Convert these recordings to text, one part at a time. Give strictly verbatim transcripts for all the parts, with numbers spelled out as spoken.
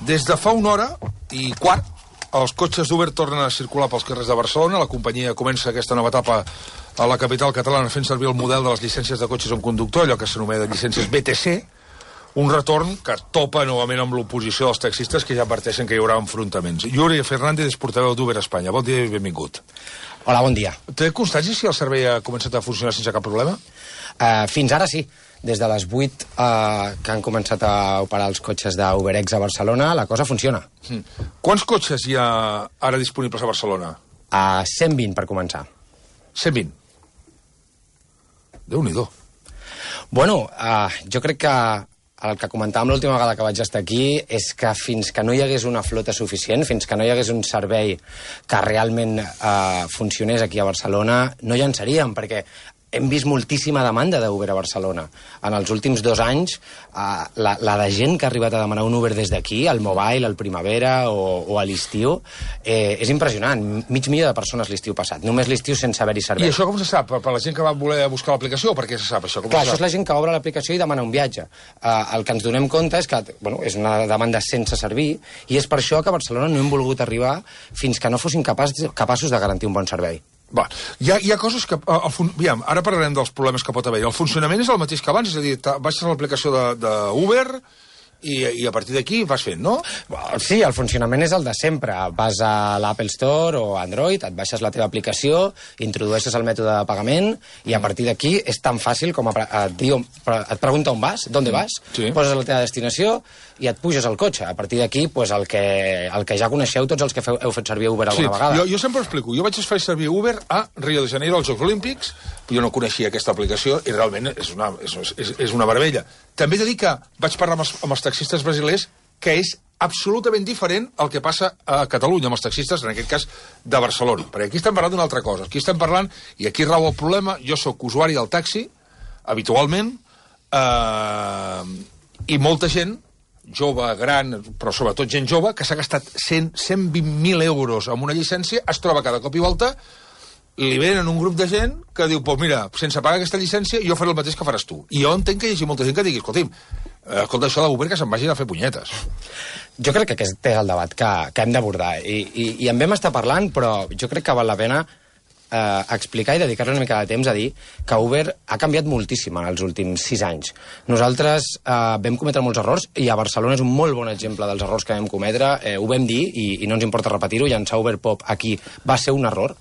Des de fa una hora i quart, els cotxes d'Uber tornen a circular pels carrers de Barcelona. La companyia comença aquesta nova etapa a la capital catalana fent servir el model de les llicències de cotxes amb conductor, allò que s'anomena llicències B T C, un retorn que topa novament amb l'oposició dels taxistes, que ja adverteixen que hi haurà enfrontaments. Yuri Fernández és portaveu d'Uber a Espanya. Bon dia i benvingut. Hola, bon dia. Té constància si el servei ha començat a funcionar sense cap problema? Uh, fins ara sí. Des de les vuit uh, que han començat a operar els cotxes d'UberX a Barcelona, la cosa funciona. Mm. Quants cotxes hi ha ara disponibles a Barcelona? A cent vint, per començar. cent vint? Déu-n'hi-do. Bueno, uh, jo crec que el que comentàvem l'última vegada que vaig estar aquí és que fins que no hi hagués una flota suficient, fins que no hi hagués un servei que realment uh, funcionés aquí a Barcelona, no llançaríem, perquè hem vist moltíssima demanda d'Uber a Barcelona. En els últims dos anys, eh, la, la de gent que ha arribat a demanar un Uber des d'aquí, al Mobile, al Primavera o, o a l'estiu, eh, és impressionant. Mig milió de persones l'estiu passat. Només l'estiu sense haver-hi servei. I això com se sap? Per, per la gent que va voler buscar l'aplicació? Per què se sap això? Com Clar, se això és la gent que obre l'aplicació i demana un viatge. Eh, el que ens donem compte és que bueno, és una demanda sense servir i és per això que a Barcelona no hem volgut arribar fins que no fossin capaç, capaços de garantir un bon servei. Va, hi ha, hi ha coses que... El fun... Aviam, ara parlarem dels problemes que pot haver. El funcionament és el mateix que abans, és a dir, baixes l'aplicació d'Uber i, i a partir d'aquí vas fent, no? Sí, el funcionament és el de sempre. Vas a l'Apple Store o Android, et baixes la teva aplicació, introdueixes el mètode de pagament i a partir d'aquí és tan fàcil com a, et, diu, et pregunta on vas, d'on vas, sí. Poses la teva destinació i et puges al cotxe. A partir d'aquí, pues, el, que, el que ja coneixeu tots els que feu, heu fet servir Uber alguna sí, vegada. Jo, jo sempre ho explico. Jo vaig fer servir Uber a Rio de Janeiro, als Jocs Olímpics. Jo no coneixia aquesta aplicació i realment és una, és, és, és una meravella. També he de dir que vaig parlar amb els, amb els taxistes brasilers que és absolutament diferent el que passa a Catalunya amb els taxistes, en aquest cas de Barcelona. Perquè aquí estem parlant d'una altra cosa. Aquí estem parlant, i aquí rau el problema, jo sóc usuari del taxi, habitualment, eh, i molta gent, jove, gran, però sobretot gent jove, que s'ha gastat cent, cent vint mil euros en una llicència, es troba cada cop i volta, li venen un grup de gent que diu, pues mira, sense pagar aquesta llicència jo faré el mateix que faràs tu. I jo entenc que hi hagi molta gent que digui, escolti'm, escolta, això d'Uber que se'n vagin a fer punyetes. Jo crec que aquest és el debat que, que hem d'abordar. I, i, I en vam estar parlant, però jo crec que val la pena eh, explicar i dedicar-li una mica de temps a dir que Uber ha canviat moltíssim en els últims sis anys. Nosaltres eh, vam cometre molts errors i a Barcelona és un molt bon exemple dels errors que vam cometre. Eh, ho vam dir i, i no ens importa repetir-ho. Llançar Uber Pop aquí va ser un error.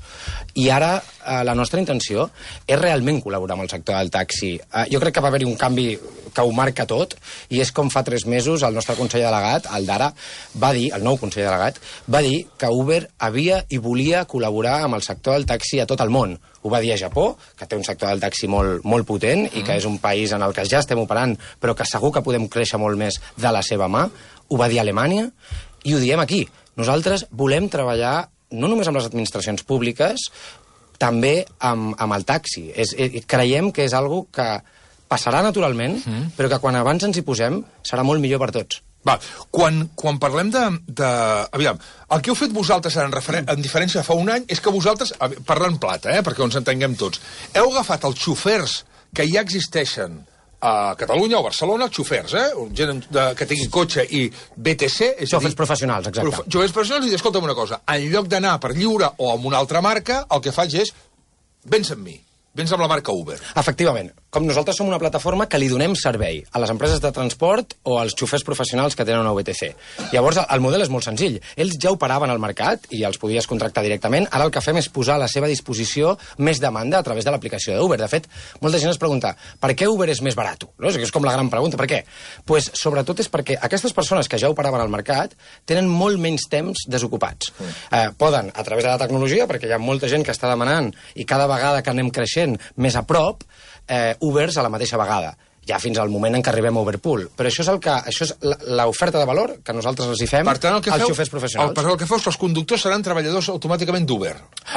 I ara eh, la nostra intenció és realment col·laborar amb el sector del taxi. Eh, jo crec que va haver-hi un canvi que ho marca tot, i és com fa tres mesos el nostre conseller delegat, el d'ara, va dir, el nou conseller delegat, va dir que Uber havia i volia col·laborar amb el sector del taxi a tot el món. Ho va dir a Japó, que té un sector del taxi molt, molt potent i que és un país en el que ja estem operant, però que segur que podem créixer molt més de la seva mà. Ho va dir a Alemanya i ho diem aquí. Nosaltres volem treballar no només amb les administracions públiques, també amb, amb el taxi. És, creiem que és algo que passarà naturalment, mm. però que quan abans ens hi posem serà molt millor per tots. Va, quan, quan parlem de, de... Aviam, el que heu fet vosaltres en, referen... en diferència fa un any és que vosaltres, parlant plata, eh, perquè ens entenguem tots, heu agafat els xofers que ja existeixen a Catalunya o Barcelona, els xofers, eh, gent de, que tingui cotxe i B T C... És xofers dir, professionals, exacte. Prof... Xofers professionals, i dir, escolta'm una cosa, en lloc d'anar per lliure o amb una altra marca, el que faig és, vens amb mi. Vens amb la marca Uber. Efectivament. Com nosaltres som una plataforma que li donem servei a les empreses de transport o als xofers professionals que tenen una V T C. Llavors, el model és molt senzill. Ells ja operaven al mercat i els podies contractar directament. Ara el que fem és posar a la seva disposició més demanda a través de l'aplicació d'Uber. De fet, molta gent es pregunta per què Uber és més barat? No? És com la gran pregunta. Per què? Pues, sobretot és perquè aquestes persones que ja operaven al mercat tenen molt menys temps desocupats. Mm. Eh, poden, a través de la tecnologia, perquè hi ha molta gent que està demanant i cada vegada que anem creixent més a prop, eh, Ubers a la mateixa vegada, ja fins al moment en què arribem a Uberpool. Però això és el que això és l'oferta de valor que nosaltres els hi fem per tant, el que als feu, xofers professionals. El, per el que feu, els conductors seran treballadors automàticament d'Uber.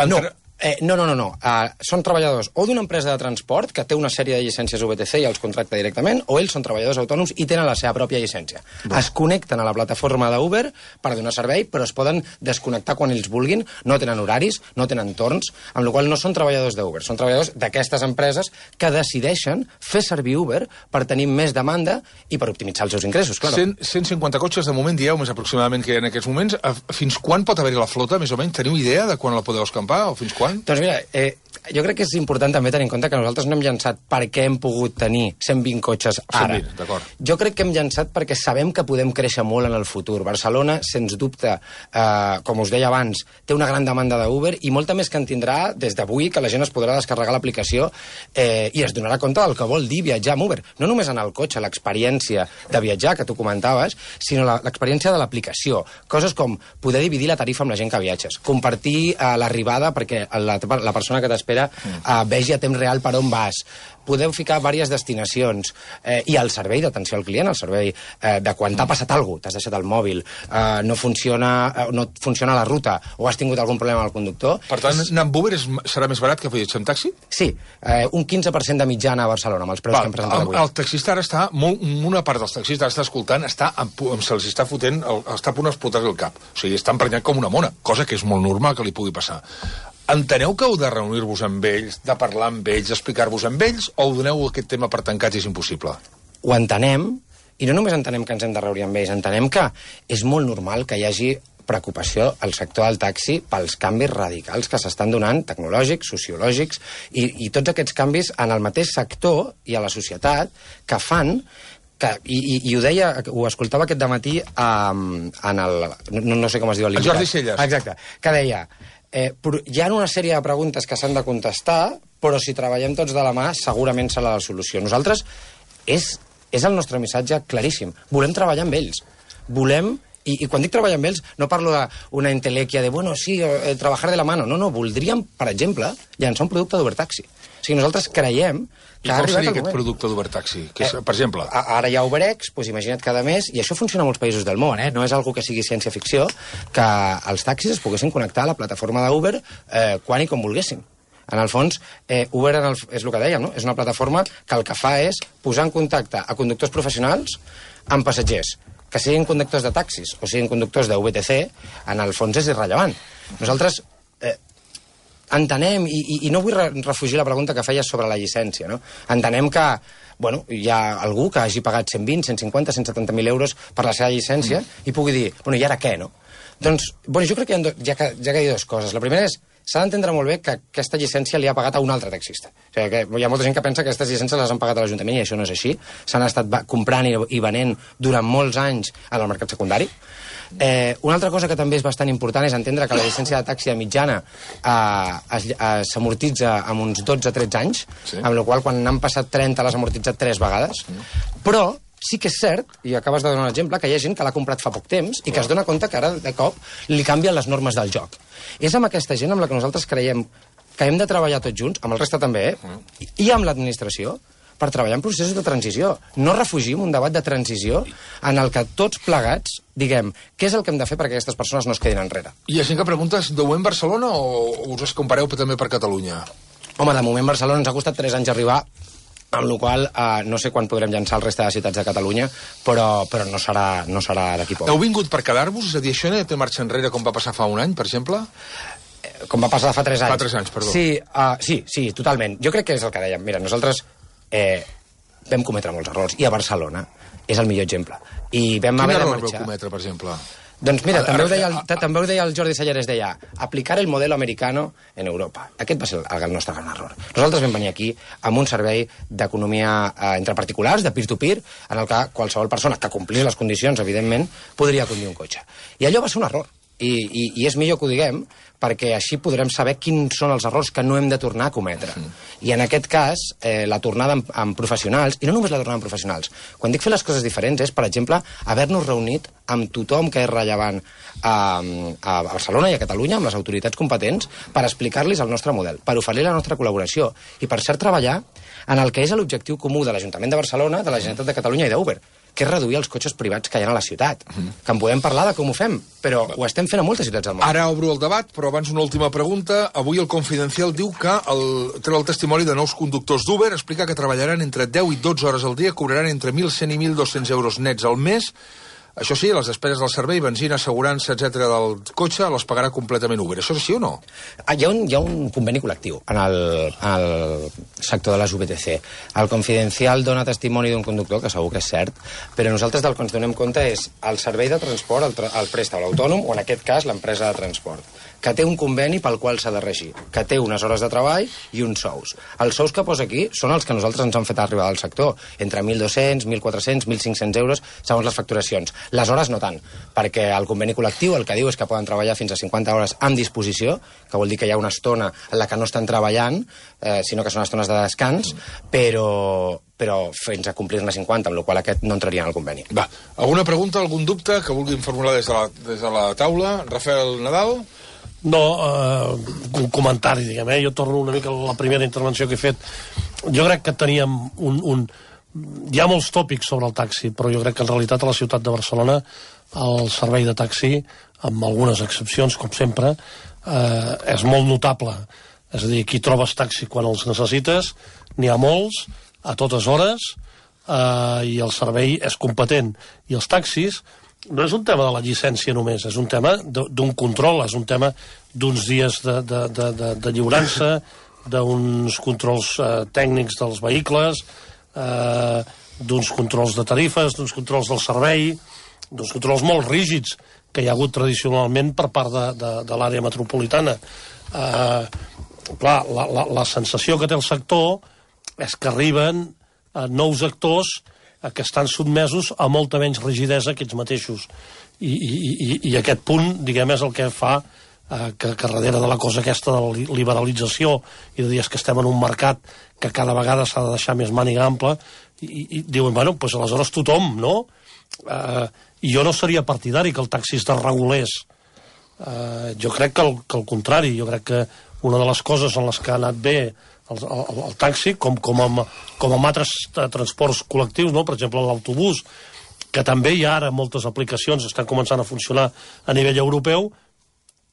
No, Eh, no, no, no. no. Uh, són treballadors o d'una empresa de transport que té una sèrie de llicències U B T C i els contracta directament, o ells són treballadors autònoms i tenen la seva pròpia llicència. Va. Es connecten a la plataforma d'Uber per donar servei, però es poden desconnectar quan ells vulguin, no tenen horaris, no tenen torns, amb la qual no són treballadors d'Uber, són treballadors d'aquestes empreses que decideixen fer servir Uber per tenir més demanda i per optimitzar els seus ingressos, clar. cent cinquanta cotxes, de moment, dieu, més aproximadament que hi ha en aquests moments. Fins quan pot haver-hi la flota, més o menys? Teniu idea de quan la podeu escampar, o fins quan? Doncs mira, eh, jo crec que és important també tenir en compte que nosaltres no hem llançat perquè hem pogut tenir cent vint cotxes ara. cent vint, d'acord. Jo crec que hem llançat perquè sabem que podem créixer molt en el futur. Barcelona, sens dubte, eh, com us deia abans, té una gran demanda d'Uber i molta més que en tindrà des d'avui, que la gent es podrà descarregar l'aplicació eh, i es donarà compte del que vol dir viatjar amb Uber. No només anar al cotxe, l'experiència de viatjar, que tu comentaves, sinó l'experiència de l'aplicació. Coses com poder dividir la tarifa amb la gent que viatges, compartir eh, l'arribada perquè la, la persona que t'espera eh, vegi a temps real per on vas, podeu ficar diverses destinacions eh, i el servei d'atenció al client, el servei eh, de quan t'ha passat alguna cosa, t'has deixat el mòbil, eh, no, funciona, eh, no funciona la ruta o has tingut algun problema amb el conductor. Per tant, anar amb Uber és, serà més barat que viatjar amb taxi? Sí, eh, un quinze per cent de mitjana a Barcelona, amb els preus Val, que hem presentat avui. El, el taxista ara està, molt, una part dels taxistes està escoltant, està, se'ls està fotent, el, està a punt d'explotar el cap. O sigui, està emprenyat com una mona, cosa que és molt normal que li pugui passar. Enteneu que heu de reunir-vos amb ells, de parlar amb ells, d'explicar-vos amb ells, o ho doneu aquest tema per tancat i és impossible? Ho entenem, i no només entenem que ens hem de reunir amb ells, entenem que és molt normal que hi hagi preocupació al sector del taxi pels canvis radicals que s'estan donant, tecnològics, sociològics, i, i tots aquests canvis en el mateix sector i a la societat que fan que, i, i, i ho deia, ho escoltava aquest dematí um, en el... No, no sé com es diu el Jordi Celles. Exacte, que deia... Eh, hi ha una sèrie de preguntes que s'han de contestar, però si treballem tots de la mà segurament serà la solució. Nosaltres, és, és el nostre missatge claríssim. Volem treballar amb ells. Volem, i, i quan dic treballar amb ells, no parlo d'una entelèquia de, bueno, sí, eh, treballar de la mano. No, no, voldríem, per exemple, llançar un producte d'Ubertaxi. O sigui, nosaltres creiem que I com seria aquest producte d'Ubertaxi? Eh, per exemple? Ara hi ha UberX, doncs imagina't cada mes, i això funciona a molts països del món, eh? No és algo que sigui ciència-ficció, que els taxis es poguessin connectar a la plataforma d'Uber eh, quan i com volguessin. En el fons, eh, Uber en el, és el que dèiem, no? És una plataforma que el que fa és posar en contacte a conductors professionals amb passatgers, que siguin conductors de taxis o siguin conductors de U B T C, en el fons és irrellevant. Nosaltres eh, entenem, i, i, i no vull re refugir la pregunta que feies sobre la llicència, no? Entenem que, bueno, hi ha algú que hagi pagat cent vint, cent cinquanta, cent setanta mil euros per la seva llicència mm. i pugui dir, bueno, i ara què, no? Doncs, bueno, jo crec que hi ha, ja que, ja que hi ha dues coses. La primera és, s'ha d'entendre molt bé que aquesta llicència li ha pagat a un altre taxista. O sigui, que hi ha molta gent que pensa que aquestes llicències les han pagat a l'Ajuntament i això no és així. S'han estat comprant i, i venent durant molts anys en el mercat secundari. Eh, una altra cosa que també és bastant important és entendre que la llicència de taxi de mitjana eh, s'amortitza amb uns dotze a tretze anys, sí. Amb la qual quan n'han passat trenta l'has amortitzat tres vegades, mm. Però sí que és cert, i acabes de donar un exemple, que hi ha gent que l'ha comprat fa poc temps i que es dona compte que ara de cop li canvien les normes del joc. És amb aquesta gent amb la que nosaltres creiem que hem de treballar tots junts, amb el reste també, eh? Mm. I amb l'administració, per treballar en processos de transició. No refugim un debat de transició en el que tots plegats diguem què és el que hem de fer perquè aquestes persones no es quedin enrere. Hi ha gent que pregunta, deu en Barcelona o us es compareu també per Catalunya? Home, de moment Barcelona ens ha costat tres anys arribar, amb la qual eh, no sé quan podrem llançar el reste de ciutats de Catalunya, però, però no serà, no serà d'aquí poc. Heu vingut per quedar-vos? És a dir, això no té marxa enrere com va passar fa un any, per exemple? Com va passar fa tres anys. Fa tres anys, perdó. Sí, uh, sí, sí, totalment. Jo crec que és el que dèiem. Mira, nosaltres eh, vam cometre molts errors, i a Barcelona és el millor exemple. I vam Quin haver error de marxar. vau cometre, per exemple? Doncs mira, també ho, deia el, també ho deia el Jordi Selleres, deia aplicar el modelo americano en Europa. Aquest va ser el, el nostre gran error. Nosaltres vam venir aquí amb un servei d'economia eh, entre particulars, de peer-to-peer, en el que qualsevol persona que complís les condicions, evidentment, podria conduir un cotxe. I allò va ser un error. I, i, i és millor que ho diguem, perquè així podrem saber quins són els errors que no hem de tornar a cometre. Mm. I en aquest cas, eh, la tornada amb, amb professionals, i no només la tornada amb professionals, quan dic fer les coses diferents és, per exemple, haver-nos reunit amb tothom que és rellevant a, a Barcelona i a Catalunya, amb les autoritats competents, per explicar-los el nostre model, per oferir la nostra col·laboració, i per cert treballar en el que és l'objectiu comú de l'Ajuntament de Barcelona, de la Generalitat de Catalunya i d'Uber, que és reduir els cotxes privats que hi ha a la ciutat. Mm. Que en podem parlar de com ho fem, però ho estem fent a moltes ciutats del món. Ara obro el debat, però abans una última pregunta. Avui el Confidencial diu que el, treu el testimoni de nous conductors d'Uber, explica que treballaran entre deu i dotze hores al dia, cobraran entre mil cent i mil dos-cents euros nets al mes. Això sí, les despeses del servei, benzina, assegurança, etcètera del cotxe, les pagarà completament Uber. Això és sí o no? Ah, hi, ha un, hi ha un conveni col·lectiu en el, en el sector de les U B T C. El Confidencial dona testimoni d'un conductor, que segur que és cert, però nosaltres del que ens donem compte és el servei de transport, el, tra el presta l'autònom, o en aquest cas l'empresa de transport, que té un conveni pel qual s'ha de regir, que té unes hores de treball i uns sous. Els sous que posa aquí són els que nosaltres ens han fet arribar al sector, entre mil dos-cents, mil quatre-cents, mil cinc-cents euros, segons les facturacions. Les hores no tant, perquè el conveni col·lectiu el que diu és que poden treballar fins a cinquanta hores amb disposició, que vol dir que hi ha una estona en la que no estan treballant, eh, sinó que són estones de descans, però, però fins a complir-ne cinquanta, amb la qual aquest no entraria en el conveni. Va, alguna pregunta, algun dubte que vulguin formular des de la, des de la taula? Rafael Nadal? No, eh, un comentari, diguem, eh? Jo torno una mica a la primera intervenció que he fet. Jo crec que teníem un... un hi ha molts tòpics sobre el taxi, però jo crec que en realitat a la ciutat de Barcelona el servei de taxi, amb algunes excepcions, com sempre, eh, és molt notable. És a dir, aquí trobes taxi quan els necessites, n'hi ha molts, a totes hores, eh, i el servei és competent. I els taxis no és un tema de la llicència només, és un tema d'un control, és un tema d'uns dies de, de, de, de, de lliurança, d'uns controls eh, tècnics dels vehicles, eh, d'uns controls de tarifes, d'uns controls del servei, d'uns controls molt rígids que hi ha hagut tradicionalment per part de, de, de l'àrea metropolitana. Eh, clar, la, la, la sensació que té el sector és que arriben eh, nous actors eh, que estan sotmesos a molta menys rigidesa que ells mateixos. I, i, i, i aquest punt, diguem, és el que fa eh, que, que darrere de la cosa aquesta de la liberalització i de dir que estem en un mercat que cada vegada s'ha de deixar més màniga ampla, i, i diuen, bueno, doncs aleshores tothom, no? Eh, I jo no seria partidari que el taxi es desregulés. Eh, jo crec que el, que el contrari, jo crec que una de les coses en les que ha anat bé el, el, el taxi, com, com, amb, com amb altres transports col·lectius, no? Per exemple l'autobús, que també hi ha ara moltes aplicacions, estan començant a funcionar a nivell europeu,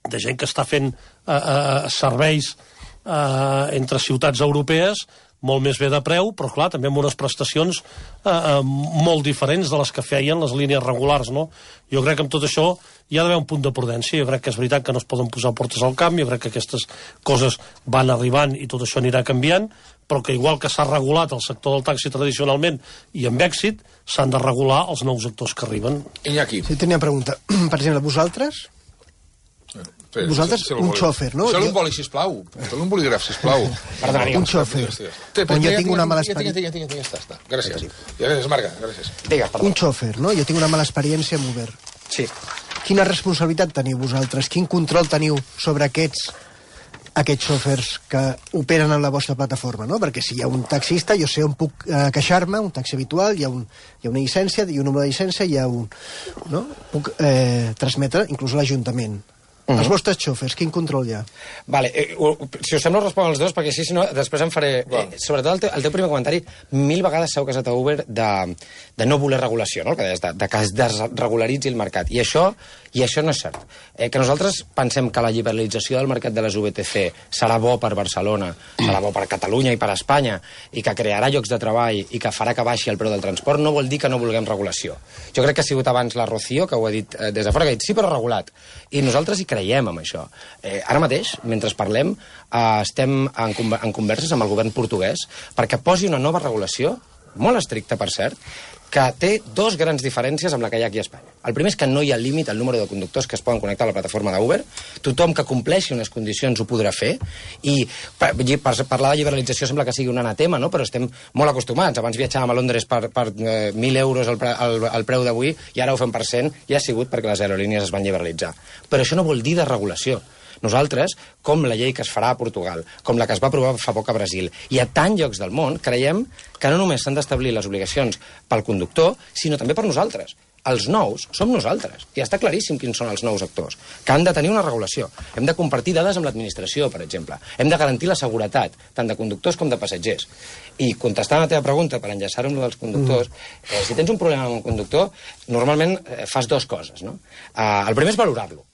de gent que està fent eh, eh, serveis eh, entre ciutats europees molt més bé de preu, però clar, també amb unes prestacions eh, eh, molt diferents de les que feien les línies regulars, no? Jo crec que amb tot això hi ha d'haver un punt de prudència, jo crec que és veritat que no es poden posar portes al camp, jo crec que aquestes coses van arribant i tot això anirà canviant, però que igual que s'ha regulat el sector del taxi tradicionalment i amb èxit, s'han de regular els nous actors que arriben. Iñaki. Sí, tenia una pregunta. Per exemple, vosaltres... Sí, vosaltres, si, si un xòfer, no? Feu un boli, sisplau. Feu un bolígraf, sisplau. Perdona, un xòfer. On jo tinc una mala experiència... Tinc, tinc, tinc, està, està. Gràcies. Gràcies, Marga, gràcies. Digues, perdó. Un xòfer, no? Jo tinc una mala experiència amb Uber. Sí. Quina responsabilitat teniu vosaltres? Quin control teniu sobre aquests aquests xòfers que operen en la vostra plataforma, no? Perquè si hi ha un taxista, jo sé on puc eh, queixar-me, un taxi habitual, hi ha, un, hi ha una llicència, hi ha un número de llicència, hi ha un... No? Puc eh, transmetre inclús a l'Ajuntament. Uh-huh. Els vostres xòfers, quin control hi ha? Vale, eh, si us sembla us responc als dos, perquè si no, després em faré... Eh, sobretot el teu, el teu primer comentari, mil vegades s'ha casat a Uber de, de no voler regulació, no? Que deies, de, de que es desregularitzi el mercat. I això, i això no és cert. Eh, que nosaltres pensem que la liberalització del mercat de les U B T C serà bo per Barcelona, serà bo per Catalunya i per Espanya, i que crearà llocs de treball i que farà que baixi el preu del transport, no vol dir que no vulguem regulació. Jo crec que ha sigut abans la Rocío, que ho ha dit eh, des de fora, que ha dit sí, però regulat. I nosaltres hi creiem en això. Eh, ara mateix, mentre parlem, eh, estem en, en converses amb el govern portuguès perquè posi una nova regulació, molt estricta, per cert, que té dos grans diferències amb la que hi ha aquí a Espanya. El primer és que no hi ha límit al número de conductors que es poden connectar a la plataforma d'Uber. Tothom que compleixi unes condicions ho podrà fer. I per, per parlar de liberalització sembla que sigui un anatema, no? Però estem molt acostumats. Abans viatjàvem a Londres per, per eh, mil euros el, pre, el, el preu d'avui i ara ho fem per cent i ha sigut perquè les aerolínies es van liberalitzar. Però això no vol dir de regulació. Nosaltres, com la llei que es farà a Portugal, com la que es va aprovar fa poc a Brasil, i a tants llocs del món, creiem que no només s'han d'establir les obligacions pel conductor, sinó també per nosaltres. els nous som nosaltres. I està claríssim quins són els nous actors, que han de tenir una regulació. Hem de compartir dades amb l'administració, per exemple. Hem de garantir la seguretat, tant de conductors com de passatgers. I contestant a la teva pregunta, per enllaçar-ho amb dels conductors, mm. eh, si tens un problema amb un conductor, normalment eh, fas dues coses, no? Eh, el primer és valorar-lo.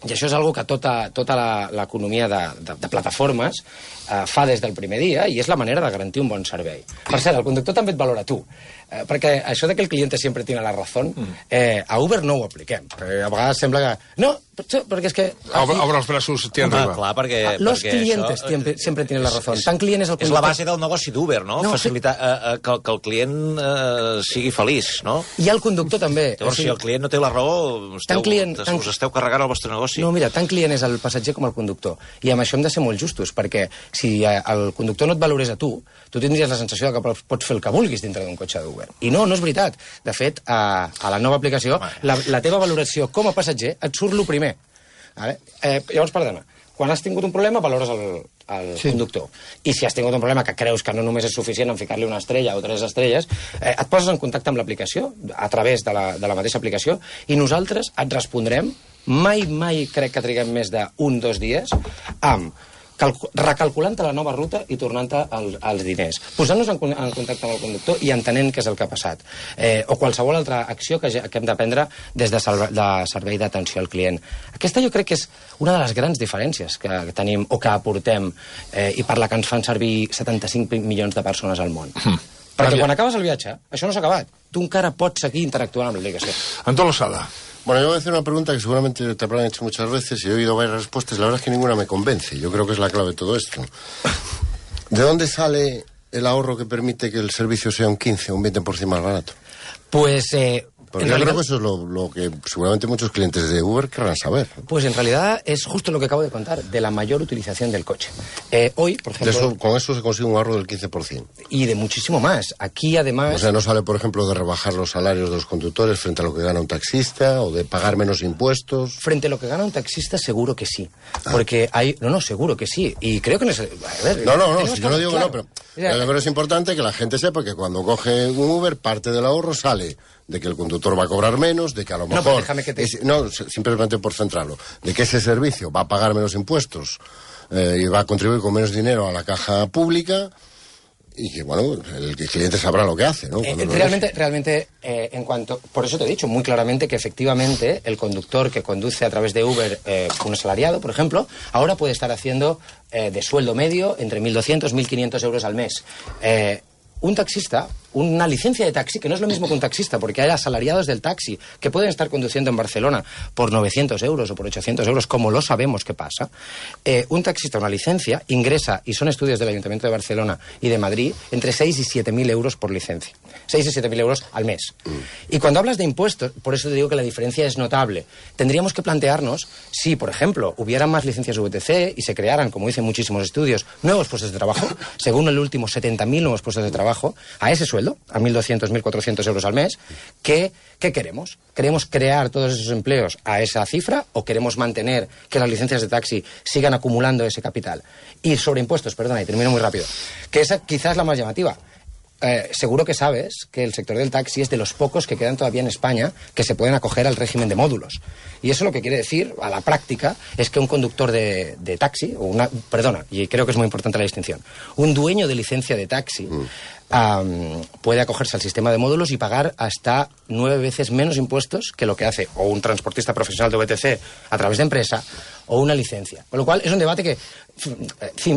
I això és una que tota, tota l'economia de, de, de plataformes eh, fa des del primer dia, i és la manera de garantir un bon servei. Per cert, el conductor també et valora tu, eh, perquè això de que el cliente sempre tiene la razón, eh, a Uber no ho apliquem. A vegades sembla que... No, perquè és que... Obre, obre els braços, t'hi arriba. Clar, perquè... Los perquè clientes això, sempre, sempre tienen la razón. Tant client és el conductor... És la base del negoci d'Uber, no? no Facilitar eh, eh, que, que el client eh, sigui feliç, no? I el conductor també. Llavors, si el client no té la raó, esteu, client, us tant... esteu carregant el vostre negoci. No, mira, tant client és el passatger com el conductor. I amb això hem de ser molt justos, perquè si el conductor no et valorés a tu, tu tindries la sensació que pots fer el que vulguis dintre d'un cotxe d'Uber. I no, no és veritat. De fet, a, a la nova aplicació, la, la teva valoració com a passatger et surt lo primer. Vale? Eh, llavors, perdona, quan has tingut un problema valores el, el sí. conductor. I si has tingut un problema que creus que no només és suficient en ficar-li una estrella o tres estrelles, eh, et poses en contacte amb l'aplicació, a través de la, de la mateixa aplicació, i nosaltres et respondrem, mai, mai crec que triguem més d'un, dos dies, amb recalculant-te la nova ruta i tornant-te el, els diners, posant-nos en, en contacte amb el conductor i entenent què és el que ha passat, eh, o qualsevol altra acció que, que hem de prendre des de, salve, de servei d'atenció al client. Aquesta jo crec que és una de les grans diferències que tenim o que aportem, eh, i per la que ens fan servir setanta-cinc milions de persones al món. Mm. Perquè quan acabes el viatge, això no s'ha acabat. Tu encara pots seguir interactuant amb l'aplicació. Antón Losada. Bueno, yo voy a hacer una pregunta que seguramente te habrán hecho muchas veces y he oído varias respuestas. La verdad es que ninguna me convence. Yo creo que es la clave de todo esto. ¿De dónde sale el ahorro que permite que el servicio sea un quince o un veinte por ciento más barato? Pues... Eh... Porque yo realidad... creo que eso es lo, lo que seguramente muchos clientes de Uber querrán saber. Pues en realidad es justo lo que acabo de contar, de la mayor utilización del coche. Eh, hoy, por ejemplo... Eso, con eso se consigue un ahorro del quince por ciento. Y de muchísimo más. Aquí, además... O sea, no sale, por ejemplo, de rebajar los salarios de los conductores frente a lo que gana un taxista, o de pagar menos impuestos. Frente a lo que gana un taxista, seguro que sí. Ah. Porque hay... No, no, seguro que sí. Y creo que no es... A ver, no, no, no, si yo no digo claro. que no, pero... Yo creo que es importante que la gente sepa que cuando coge un Uber, parte del ahorro sale de que el conductor va a cobrar menos, de que a lo mejor... No, déjame que te... es, no simplemente por centrarlo. De que ese servicio va a pagar menos impuestos eh, y va a contribuir con menos dinero a la caja pública y que, bueno, el, el cliente sabrá lo que hace, ¿no? Eh, realmente, realmente eh, en cuanto... Por eso te he dicho muy claramente que efectivamente el conductor que conduce a través de Uber, eh, un asalariado, por ejemplo, ahora puede estar haciendo eh, de sueldo medio entre mil doscientos y mil quinientos euros al mes. Eh, un taxista, una licencia de taxi, que no es lo mismo que un taxista, porque hay asalariados del taxi que pueden estar conduciendo en Barcelona por novecientos euros o por ochocientos euros, como lo sabemos que pasa. Eh, un taxista, una licencia, ingresa, y son estudios del Ayuntamiento de Barcelona y de Madrid, entre seis y siete mil euros por licencia. seis y siete mil euros al mes. Y cuando hablas de impuestos, por eso te digo que la diferencia es notable, tendríamos que plantearnos si, por ejemplo, hubieran más licencias V T C y se crearan, como dicen muchísimos estudios, nuevos puestos de trabajo, según el último setenta mil nuevos puestos de trabajo, a ese sueldo, a mil doscientos, mil cuatrocientos euros al mes, ¿qué, ¿qué queremos? ¿Queremos crear todos esos empleos a esa cifra o queremos mantener que las licencias de taxi sigan acumulando ese capital? Y sobre impuestos, perdona, y termino muy rápido, que esa quizás es la más llamativa. Eh, seguro que sabes que el sector del taxi es de los pocos que quedan todavía en España que se pueden acoger al régimen de módulos. Y eso lo que quiere decir, a la práctica, es que un conductor de, de taxi, o una, perdona, y creo que es muy importante la distinción, un dueño de licencia de taxi mm. um, puede acogerse al sistema de módulos y pagar hasta nueve veces menos impuestos que lo que hace o un transportista profesional de V T C a través de empresa o una licencia. Con lo cual es un debate que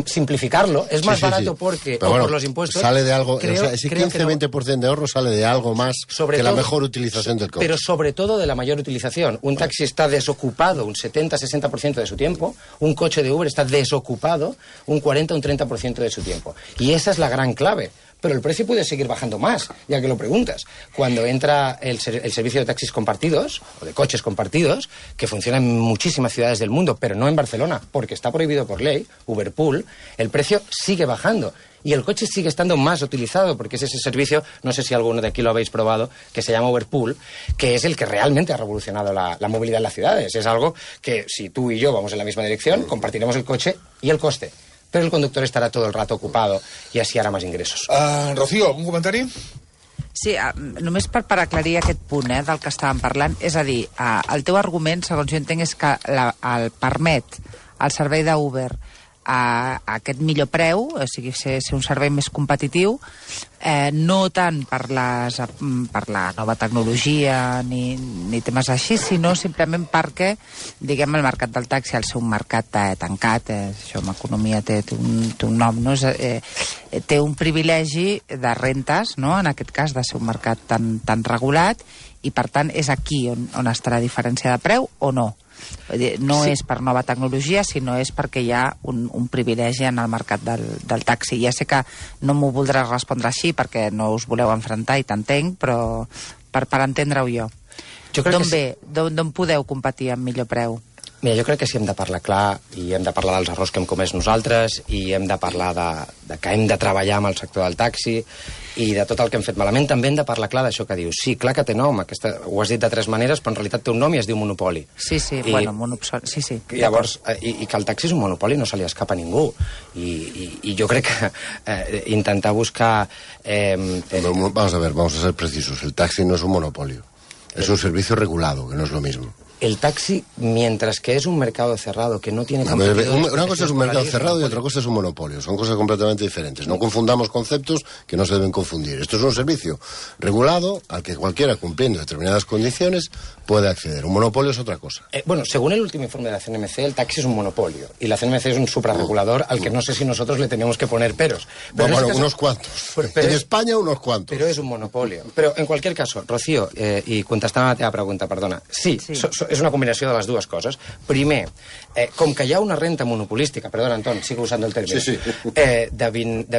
simplificarlo es más sí, sí, barato sí. porque o bueno, por los impuestos sale de algo, creo, o sea, ese quince a veinte por ciento no, de ahorro sale de algo más sobre que todo, la mejor utilización del coche. Pero sobre todo de la mayor utilización. Un taxi está desocupado un setenta a sesenta por ciento de su tiempo, un coche de Uber está desocupado un cuarenta a un treinta por ciento de su tiempo. Y esa es la gran clave. Pero el precio puede seguir bajando más, ya que lo preguntas. Cuando entra el, el servicio de taxis compartidos, o de coches compartidos, que funciona en muchísimas ciudades del mundo, pero no en Barcelona, porque está prohibido por ley, Uberpool, el precio sigue bajando. Y el coche sigue estando más utilizado, porque es ese servicio, no sé si alguno de aquí lo habéis probado, que se llama Uberpool, que es el que realmente ha revolucionado la, la movilidad en las ciudades. Es algo que, si tú y yo vamos en la misma dirección, compartiremos el coche y el coste. Pero el conductor estará todo el rato ocupado y así hará más ingresos. Uh, Rocío, ¿un comentari? Sí, només per, per aclarir aquest punt eh, del que estàvem parlant, és a dir, eh, el teu argument, segons jo entenc, és que la, el permet el servei d'Uber a, a aquest millor preu, o sigui, ser, ser un servei més competitiu, eh, no tant per, les, per la nova tecnologia ni, ni temes així, sinó simplement perquè, diguem, el mercat del taxi, al ser un mercat eh, tancat, eh, això en economia té, té, un, té un nom, no? És, eh, té un privilegi de rentes, no? En aquest cas, de ser un mercat tan, tan regulat, i per tant és aquí on, on està la diferència de preu o no? No sí. És per nova tecnologia, sinó és perquè hi ha un, un privilegi en el mercat del, del taxi. Ja sé que no m'ho voldràs respondre així perquè no us voleu enfrontar i t'entenc, però per, per entendre-ho jo. jo D'on ve? Sí. D'on podeu competir amb millor preu? Mira, jo crec que sí hem de parlar clar i hem de parlar dels errors que hem comès nosaltres i hem de parlar de, de que hem de treballar amb el sector del taxi i de tot el que hem fet malament. També hem de parlar clar d'això que dius. Sí, clar que té nom, aquesta, ho has dit de tres maneres, però en realitat té un nom i es diu monopoli. Sí, sí, I, bueno, monopoli, sí, sí. Llavors, i, i que el taxi és un monopoli, no se li escapa a ningú. I, i, i jo crec que eh, intentar buscar... Eh, eh, vamos a ver, vamos a ser precisos. El taxi no es un monopolio. Es un servicio regulado, que no es lo mismo. El taxi, mientras que es un mercado cerrado, que no tiene... Una, una cosa es un mercado cerrado y otra cosa es un monopolio. Son cosas completamente diferentes. No confundamos conceptos que no se deben confundir. Esto es un servicio regulado al que cualquiera, cumpliendo determinadas condiciones, puede acceder. Un monopolio es otra cosa. Eh, bueno, según el último informe de la C N M C, el taxi es un monopolio. Y la C N M C es un suprarregulador al que no sé si nosotros le tenemos que poner peros. Pero bueno, bueno unos cuantos. Pero, pero en es, España, unos cuantos. Pero es un monopolio. Pero, en cualquier caso, Rocío, eh, i contestant a la teva pregunta, perdona, sí, sí. So, so, és una combinació de les dues coses. Primer, eh, com que hi ha una renta monopolística, perdona, Anton, sigo usant el terme, sí, sí. eh, de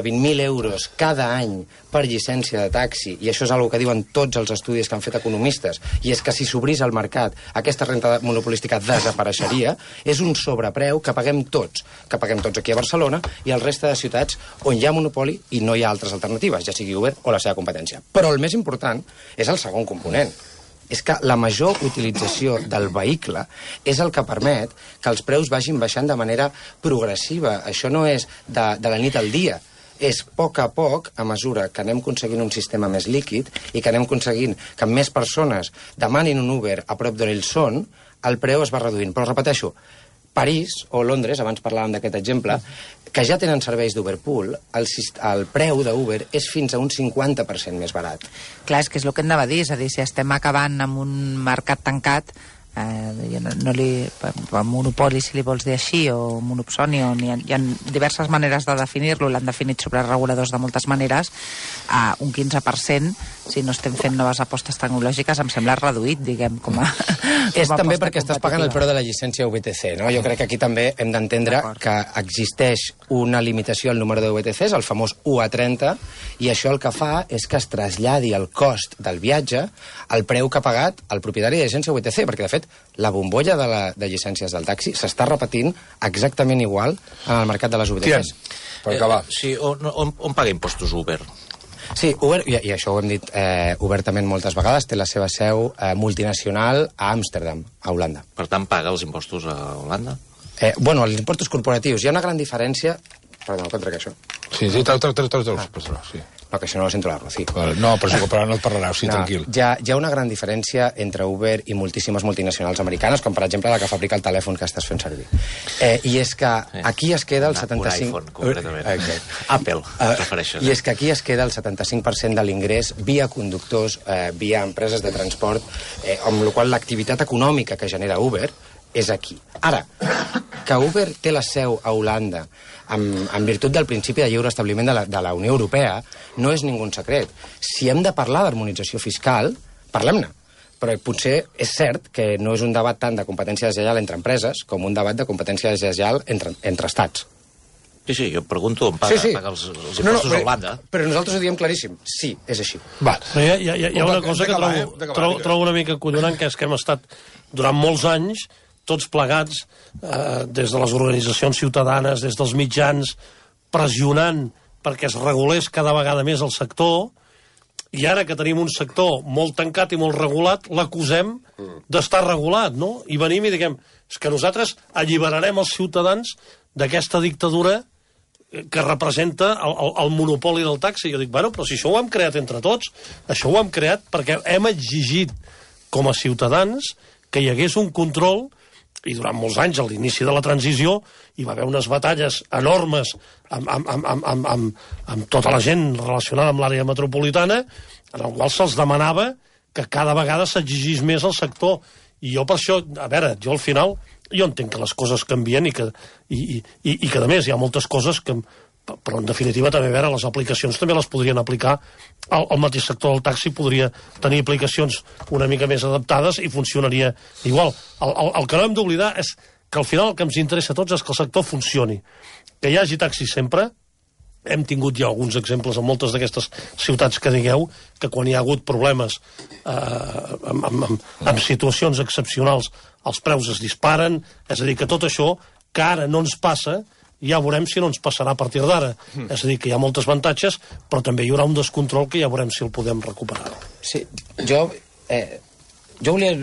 vint mil euros cada any per llicència de taxi, i això és una que diuen tots els estudis que han fet economistes, i és que si s'obrís al mercat aquesta renta monopolística desapareixeria, és un sobrepreu que paguem tots, que paguem tots aquí a Barcelona i al resta de ciutats on hi ha monopoli i no hi ha altres alternatives, ja sigui Uber o la seva competència. Però el més important és el segon component. És que la major utilització del vehicle és el que permet que els preus vagin baixant de manera progressiva. Això no és de, de la nit al dia. És a poc a poc, a mesura que anem aconseguint un sistema més líquid i que anem aconseguint que més persones demanin un Uber a prop d'on ells són, el preu es va reduint. Però repeteixo, París o Londres, abans parlàvem d'aquest exemple, que ja tenen serveis d'Uberpool, el, el preu d'Uber és fins a un cinquanta per cent més barat. Clar, és que és el que hem de dir, és a dir, si estem acabant amb un mercat tancat, eh, no, no li, monopoli, si li vols dir així, o monopsoni, o hi ha, hi ha diverses maneres de definir-lo, l'han definit sobre reguladors de moltes maneres, a un quinze per cent, si no estem fent noves apostes tecnològiques, em sembla reduït, diguem, com a... Com és a també perquè estàs pagant el preu de la llicència U B T C, no? Jo crec que aquí també hem d'entendre que existeix una limitació al número de U B T Cs, el famós u a trenta, i això el que fa és que es traslladi el cost del viatge al preu que ha pagat el propietari de llicència U B T C, perquè, de fet, la bombolla de, la, de llicències del taxi s'està repetint exactament igual en el mercat de les U B T Cs. Per acabar. Eh, sí, on, on, on paga impostos Uber? Sí, Uber, i, i això ho hem dit eh, obertament moltes vegades, té la seva seu eh, multinacional a Amsterdam, a Holanda. Per tant, paga els impostos a Holanda? Eh, bueno, els impostos corporatius. Hi ha una gran diferència... Perdó, contra que això. Sí, sí, treu, treu, treu, treu, treu, ah. sí. No, que això no ho sento la Rocí. No, però si però no et parlarà, sí, no, tranquil. Hi ha, hi ha una gran diferència entre Uber i moltíssimes multinacionals americanes, com per exemple la que fabrica el telèfon que estàs fent servir. Eh, I és que aquí es queda el setanta-cinc... Un iPhone, concretament. Okay. Apple, uh, refereixes. I és que aquí es queda el setanta-cinc per cent de l'ingrés via conductors, eh, via empreses de transport, eh, amb la qual l'activitat econòmica que genera Uber és aquí. Ara, que Uber té la seu a Holanda en, en virtut del principi de lliure establiment de la, de la Unió Europea, no és ningú secret. Si hem de parlar d'harmonització fiscal, parlem-ne. Però potser és cert que no és un debat tant de competència deslleial entre empreses com un debat de competència deslleial entre, entre estats. Sí, sí, jo pregunto on paga, sí, sí. paga els, els impostos no, no, però, a Holanda. Però nosaltres ho diem claríssim. Sí, és així. Va. Hi ha, hi ha, hi ha una cosa que trobo, trobo, trobo una mica collonant, que és que hem estat durant molts anys tots plegats, eh, des de les organitzacions ciutadanes, des dels mitjans, pressionant perquè es regulés cada vegada més el sector, i ara que tenim un sector molt tancat i molt regulat, l'acusem d'estar regulat, no? I venim i diguem, és que nosaltres alliberarem els ciutadans d'aquesta dictadura que representa el, el, el monopoli del taxi. Jo dic, bueno, però si això ho hem creat entre tots, això ho hem creat perquè hem exigit com a ciutadans que hi hagués un control, i durant molts anys, a l'inici de la transició, hi va haver unes batalles enormes amb, amb, amb, amb, amb, amb, amb tota la gent relacionada amb l'àrea metropolitana, en el qual se'ls demanava que cada vegada s'exigís més al sector. I jo per això, a veure, jo al final, jo entenc que les coses canvien i que, i, i, i que a més, hi ha moltes coses que... Però, en definitiva, també, a veure, les aplicacions també les podrien aplicar. El, el mateix sector del taxi podria tenir aplicacions una mica més adaptades i funcionaria igual. El, el, el que no hem d'oblidar és que al final el que ens interessa a tots és que el sector funcioni. Que hi hagi taxi sempre. Hem tingut ja alguns exemples en moltes d'aquestes ciutats que digueu que quan hi ha hagut problemes eh, amb, amb, amb, amb situacions excepcionals els preus es disparen, és a dir, que tot això que ara no ens passa ja veurem si no ens passarà a partir d'ara. Mm. És a dir, que hi ha moltes avantatges, però també hi haurà un descontrol que ja veurem si el podem recuperar. Sí, jo... Eh, jo volia...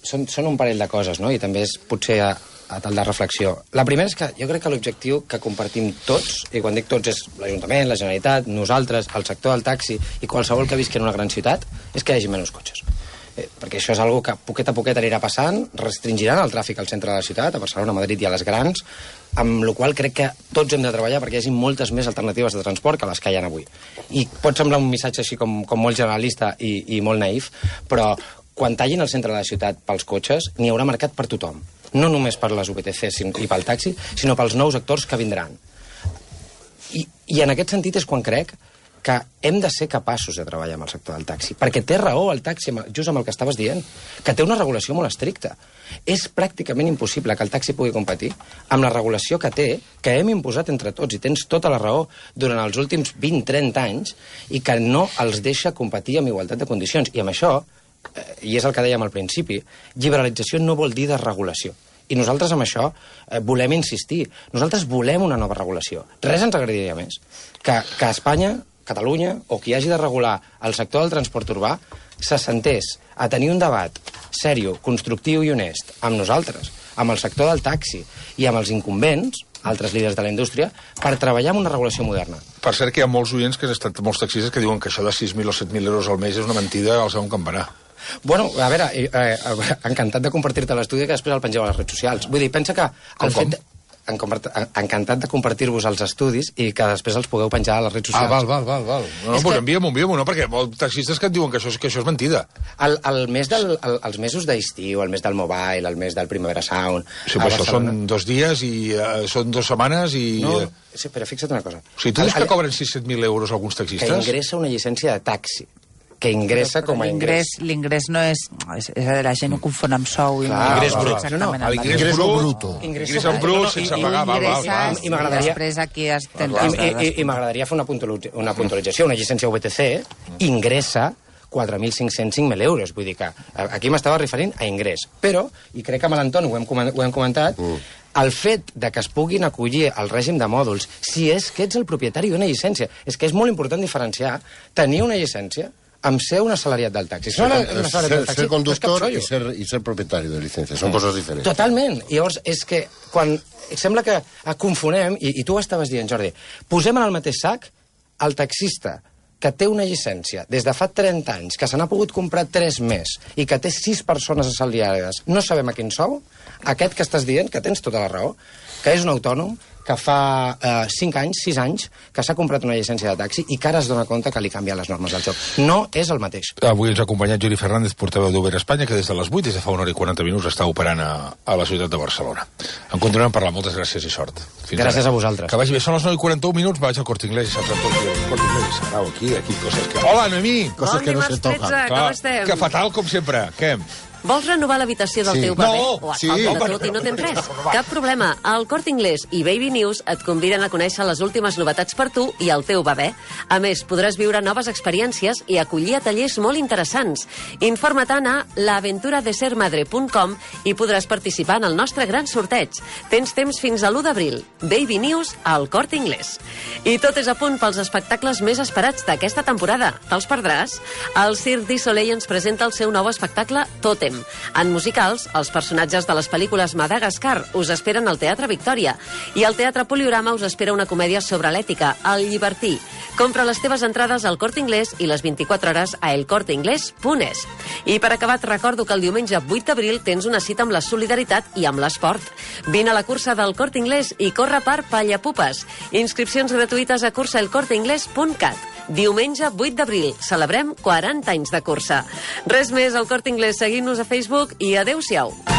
Són, són un parell de coses, no? I també és potser a, a tal de reflexió. La primera és que jo crec que l'objectiu que compartim tots, i quan dic tots és l'Ajuntament, la Generalitat, nosaltres, el sector del taxi i qualsevol que visqui en una gran ciutat, és que hi hagi menys cotxes. Eh, perquè això és algo que poquet a poquet anirà passant, restringiran el tràfic al centre de la ciutat, a Barcelona, a Madrid i a les grans, amb la qual crec que tots hem de treballar perquè hi hagi moltes més alternatives de transport que les que hi ha avui. I pot semblar un missatge així com, com molt generalista i, i molt naïf, però quan tallin el centre de la ciutat pels cotxes, n'hi haurà mercat per tothom. No només per les U P T C i pel taxi, sinó pels nous actors que vindran. I, i en aquest sentit és quan crec que hem de ser capaços de treballar amb el sector del taxi, perquè té raó el taxi, just amb el que estaves dient, que té una regulació molt estricta. És pràcticament impossible que el taxi pugui competir amb la regulació que té, que hem imposat entre tots, i tens tota la raó, durant els últims vint trenta anys, i que no els deixa competir amb igualtat de condicions. I amb això, eh, i és el que dèiem al principi, liberalització no vol dir desregulació. I nosaltres amb això eh, volem insistir. Nosaltres volem una nova regulació. Res ens agradaria més que, que Espanya, Catalunya, o qui hagi de regular el sector del transport urbà, se sentés a tenir un debat sèrio, constructiu i honest amb nosaltres, amb el sector del taxi i amb els incumbents, altres líders de la indústria, per treballar amb una regulació moderna. Per cert, que hi ha molts oients, que han estat molts taxistes, que diuen que això de sis mil o set mil euros al mes és una mentida al segon campanar. Bueno, a veure, eh, eh, encantat de compartir-te l'estudi que després el pengeu a les redes socials. Vull dir, pensa que el com, fet... En, encantat de compartir-vos els estudis i que després els pugueu penjar a les redes socials. Ah, val, val, val. val. No, no, pues que... envia-m'ho, envia-m'ho, no, perquè hi ha taxistes que et diuen que això, que això és mentida. El, el mes del, el, els mesos d'estiu, el mes del Mobile, el mes del Primavera Sound... Sí, però això són dos dies i uh, són dues setmanes i... No, sí, però fixa't una cosa. O sigui, tu dius que cobren sis set mil euros alguns taxistes? Que ingressa una llicència de taxi. Que ingressa com a ingrés. L'ingrés no és... és a dir, la gent ho confon amb sou. Clar, ingrés brut. No, no, l'ingrés brut. Ingrés en brut, sense pagar. Val, val, val. I m'agradaria... Després aquí es tens... I, i, i m'agradaria fer una, una puntualització. Una llicència U B T C ingressa quatre mil cinc-cents cinc mil euros. Vull dir que aquí m'estava referint a ingrés. Però, i crec que amb l'Anton ho, ho hem comentat, mm. el fet de que es puguin acollir al règim de mòduls, si és que ets el propietari d'una llicència, és que és molt important diferenciar tenir una llicència amb ser un assalariat del taxi. Ser, una, una ser, del taxi ser conductor i ser, i ser propietari de licència. Són mm. coses diferents. Totalment. I llavors, és que quan sembla que confonem, i, i tu ho estaves dient, Jordi, posem en el mateix sac el taxista que té una llicència des de fa trenta anys, que se n'ha pogut comprar tres més i que té sis persones assalariades, no sabem a quin sou, aquest que estàs dient, que tens tota la raó, que és un autònom, que fa eh, cinc anys, sis anys, que s'ha comprat una llicència de taxi i que ara es dona compte que li canvien les normes del joc. No és el mateix. Avui ens ha acompanyat Juli Fernández, portaveu d'Uber Espanya, que des de les vuit, des de fa una hora i quaranta minuts, està operant a, a la ciutat de Barcelona. En continuem parlant. Moltes gràcies i sort. Fins gràcies ara. A vosaltres. Que vagi bé. Són les nou i quaranta un minuts, vaig al Corte Inglés i saps tot el Corte Inglés. Sarau, aquí, aquí, coses que... Hola, Noemí! Coses bon que no se toquen. Com estem? Que fatal, com sempre. Què? Vols renovar l'habitació del sí. teu bebè? No, o et sí. falta de tot i no tens res? Cap problema. El Corte Inglés i Baby News et conviden a conèixer les últimes novetats per tu i el teu bebè. A més, podràs viure noves experiències i acollir a tallers molt interessants. Informa-te'n a la aventura de ser madre punt com i podràs participar en el nostre gran sorteig. Tens temps fins a l'u d'abril. Baby News al Corte Inglés. I tot és a punt pels espectacles més esperats d'aquesta temporada. Te'ls perdràs? El Cirque du Soleil ens presenta el seu nou espectacle Totem, Salem. En musicals, els personatges de les pel·lícules Madagascar us esperen al Teatre Victòria i al Teatre Poliorama us espera una comèdia sobre l'ètica, El llibertí. Compra les teves entrades al Corte Inglés i les vint-i-quatre hores a elcorteinglés punt es. I per acabar, et recordo que el diumenge vuit d'abril tens una cita amb la solidaritat i amb l'esport. Vine a la cursa del Corte Inglés i corre per Pallapupes. Inscripcions gratuïtes a cursa el corte inglés punt cat. Diumenge vuit d'abril. Celebrem quaranta anys de cursa. Res més al Corte Inglés. Seguim-nos a Facebook i adeu-siau.